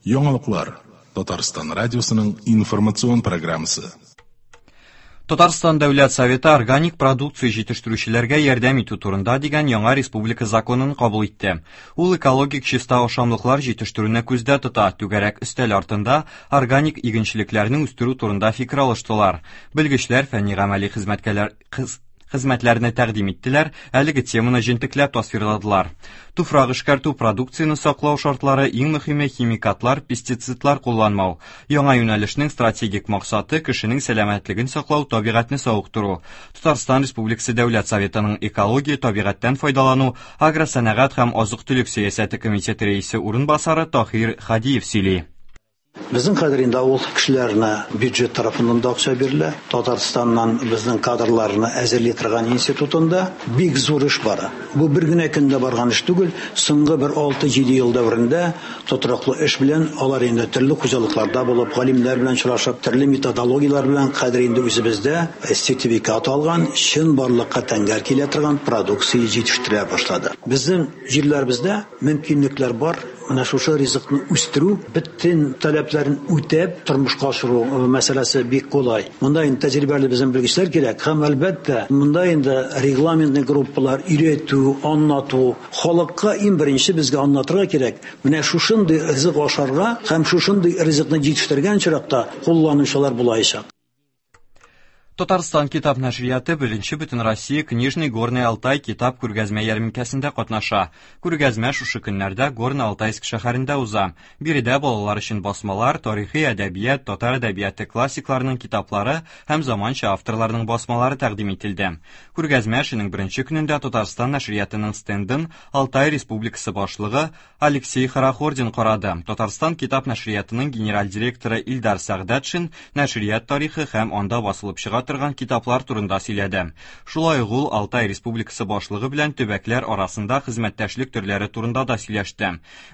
Яңалыклар Татарстан радиосының информацион программасы. Татарстан Дәүләт Советы органик продукция җитештерүчеләргә ярдәм итү турында дигән яңа республика законын кабул итте. Ул экологик чиста ашамлыклар җитештерүне күздә тота. Түгәрәк өстәл артында органик игенчелекләрне үстерү турында фикер алыштылар. Белгечләр фәнни-гамәли хезмәткәләр хезмәтләрне тәкъдим иттеләр, әлеге теманы җентекләп тасвирладылар. Туфрак эшкәртү, продукцияне саклау шартлары, иң мөһиме химикатлар, пестицидлар кулланмау. Яңа юнәлешнең стратегик максаты кешенең сәламәтлеген саклау, табигатьне савыктыру. Татарстан Республикасы Дәүләт Советының экология, табигатьтән файдалану, агросәнәгать һәм азык-төлек сәясәте комитеты рәисе урынбасары Таһир Хадиев сөйли. Безнең хәзер инде авыл кешеләренә бюджет тарафыннан да акча бирелә. Татарстаннан безнең кадрларны әзерли торган институтында бик зур эш бара. Бу бер генә көндә барган эш түгел, соңгы бер 6-7 ел дәверендә тотрыклы эш белән алар инде төрле хуҗалыкларда булып, галимнәр белән очрашып, төрле методологияләр белән хәзер инде үзебездә сертификат алган, чынбарлыкка тәңгәл килә торган продукция җитештерә башлады. Безнең җирләребездә мөмкинлекләр бар. Менә шушы ризыкны үстерү, бөтен таләпләрен үтәп тормышка ашыру мәсьәләсе бик кулай. Монда инде тәҗрибәле безнең белгечләр кирәк һәм, әлбәттә, монда инде регламентный группалар, өйрәтү, аңлату, халыкка иң беренче безгә аңлатырга кирәк, менә шушындый ризык ашарга һәм шушындый ризыкны җитештергән очракта кулланучылар булаячак. Татарстан китап нәшрияты беренче Бөтенроссия Книжный Горный Алтай китап күргәзмә ярминкәсендә катнаша. Күргәзмә шушы көннәрдә Горно-Алтайск шәһәрендә уза. Биредә балалар өчен басмалар, тарихи әдәбият, татар әдәбияты классикларының китаплары һәм заманча авторларның басмалары тәкъдим ителде. Күргәзмә эшенең беренче көнендә Татарстан нәшриятының стендын Алтай Республикасы башлыгы Алексей Хорохордин карады. Татарстан китап нәшриятының генераль директоры Илдар Сәгъдәтшин нәшрият тарихы һәм анда басылып чыга торган китаплар турында сөйләде. Шулай ук ул Алтай Республикасы башлыгы белән төбәкләр арасында хезмәттәшлек төрләре турында да сөйләште.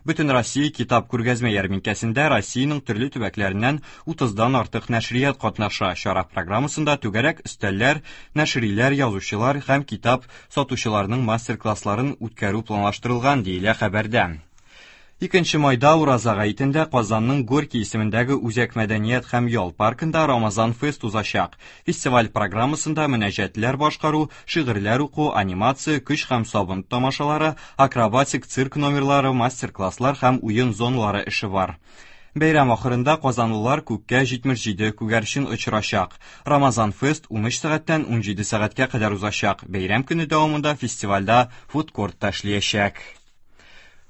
Бөтенроссия китап күргәзмә ярминкәсендә Россиянең төрле төбәкләреннән 30-дан артык нәшрият катнаша. Чара программасында түгәрәк өстәлләр, нәшриләр, язучылар һәм китап сатучыларның мастер-классларын үткәрү планлаштырылган, диелә хәбәрдә. 2 майда Ураза гаетендә Казанның Горький исемендәге Үзәк мәдәният һәм ял паркында Рамазан фест узачак. Фестиваль программасында мөнәҗәтләр башкару, шигырьләр уку, анимация, көч һәм сабын тамашалары, акробатик цирк номерлары, мастер-класслар һәм уен зоналары эше бар. Бәйрәм ахырында казанлылар күккә 77 күгәрчен очырачак. Рамазан фест 13 сәгатьтән 17 сәгатькә кадәр узачак. Бәйрәм көне дәвамында фестивальдә фудкорт та эшләячәк.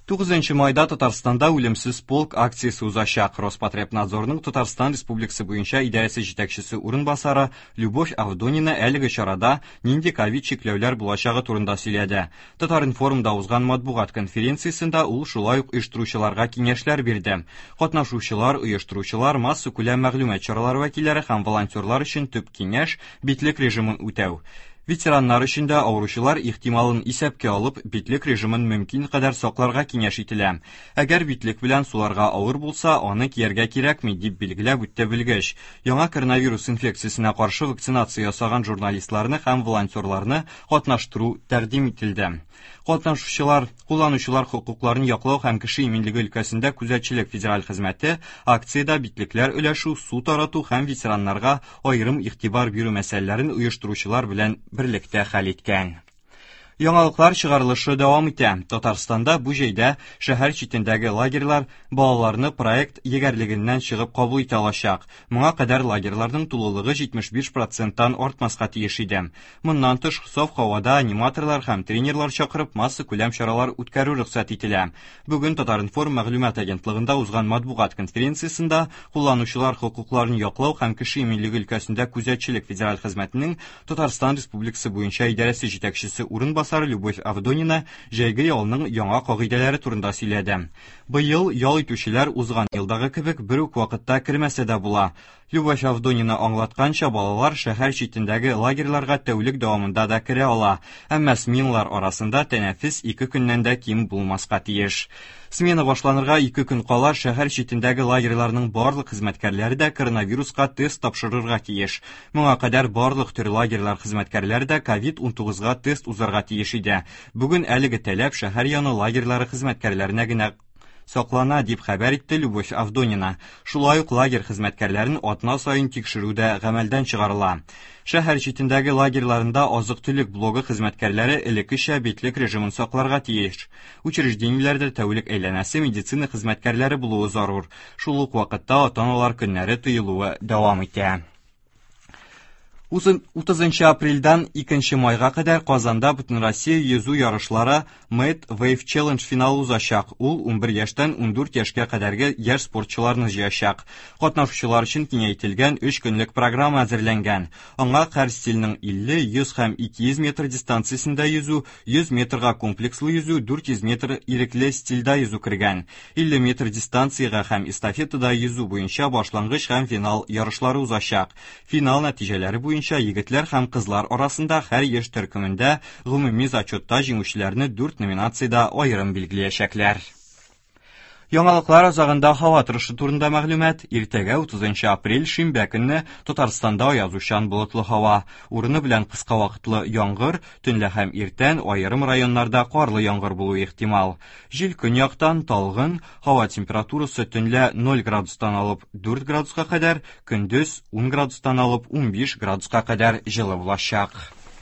9 майда Татарстанда үлемсез полк акциясе узачак. Роспотребнадзорның Татарстан Республикасы буенча идарәсе җитәкчесе урынбасары Любовь Авдонина әлеге чарада нинди ковид чикләүләр булачагы турында сөйләде. Татар-информда узган матбугат конференциясендә ул шулай ук оештыручыларга киңәшләр бирде. Катнашучылар, оештыручылар, массакүләм мәгълүмат чаралары вәкилләре һәм волонтерлар өчен төп киңәш битлек режимын үтәү. Ветераннар өчен дә авыручылар ихтималын исәпкә алып, битлек режимын мөмкин кадәр сакларга киңәш ителә. Әгәр битлек белән суларга авыр булса, аны кияргә кирәкми, дип билгеләп үтте белгеч. Яңа коронавирус инфекциясенә каршы вакцинация ясаган журналистларны һәм волонтерларны катнаштыру тәкъдим ителде. Катнашучылар, кулланучылар хокукларын яклау һәм кеше иминлеге өлкәсендә күзәтчелек федераль хезмәте акциядә битлекләр өләшү, су тарату һәм ветераннарга аерым игътибар бирү мәсьәләләрен оештыручылар белән берлектә хәл иткән. Яңалыклар чыгарылышы дәвам итә. Татарстанда бу җәйдә шәһәр читендәге лагерьлар балаларны проект егәрлегеннән чыгып кабул итә алачак. Моңа кадәр лагерьларның тулылыгы 75 проценттан артмаска тиеш иде. Моннан тыш, саф һавада аниматорлар һәм тренерлар чакырып массакүләм чаралар үткәрү рөхсәт ителә. Бүген Татар-информ мәгълүмат агентлыгында узган матбугат конференциясендә кулланучылар хокукларын яклау һәм кеше иминлеге өлкәсендә күзәтчелек федераль хезмәтенең Татарстан Республикасы буенча идарәсе җитәкчесе урынбасары Любовь Авдонина җәйге ялның яңа кагыйдәләре турында сөйләде. Быел ял итүчеләр узган елдагы кебек бер үк вакытта кермәсә дә була. Любовь Авдонина аңлатканча, балалар шәһәр читендәге лагерьларга тәүлек дәвамында да керә ала. Әмма сменалар арасында тәнәфес 2 көннән дә ким булмаска тиеш. Смена башланырга 2 көн кала шәһәр читендәге лагерьларның барлык хезмәткәрләре дә коронавируска тест тапшырырга тиеш. Моңа кадәр барлык төр лагерьлар хезмәткәрләре дә ковид-19-га тест узарга тиеш иде. Бүген әлеге таләп шәһәр яны лагерьлары хезмәткәрләренә генә саклана, дип хәбәр итте Любовь Авдонина. Шулай ук лагерь хезмәткәрләрен атна саен тикшерү дә гамәлдән чыгарыла. Шәһәр читендәге лагерьларында азык-төлек блогы хезмәткәрләре элеккечә битлек режимын сакларга тиеш. Учреждениеләрдә тәүлек әйләнәсе медицина хезмәткәрләре булуы зарур. Шул ук вакытта ата-аналар көннәре тыелуы дәвам итә. 30 апрельдән 2 майга кадәр Казанда Бөтенроссия йөзү ярышлары Mad Wave Challenge финалы узачак. Ул 11 яшьтән 14 яшькә кадәрге яшь спортчыларны җыячак. Катнашучылар өчен киңәйтелгән 3 көнлек программа әзерләнгән. Аңа һәр стильнең 50, 100 һәм 200 метр дистанциясендә йөзү, 100 метрга комплекслы йөзү, 400 метр ирекле стильдә йөзү кергән. 50 метр дистанциягә һәм эстафетада йөзү буенча башлангыч һәм финал ярышлары узачак. Финал нәтиҗәләре буенча егетләр һәм кызлар арасында һәр яшь төркемендә гомуми зачетта җиңүчеләрне дүрт номинациядә аерым билгеләячәкләр. Яңалыклар азагында һава торышы турында мәгълүмат. Иртәгә 30 апрель шимбә көнне Татарстанда аязучан болытлы һава, урыны белән кыска вакытлы яңгыр, төнлә һәм иртән аерым районнарда карлы яңгыр булуы ихтимал. Җил көньяктан талгын, һава температурасы төнлә 0 градустан алып 4 градуска кадәр, көндез 10 градустан алып 15 градуска кадәр җылы булачак.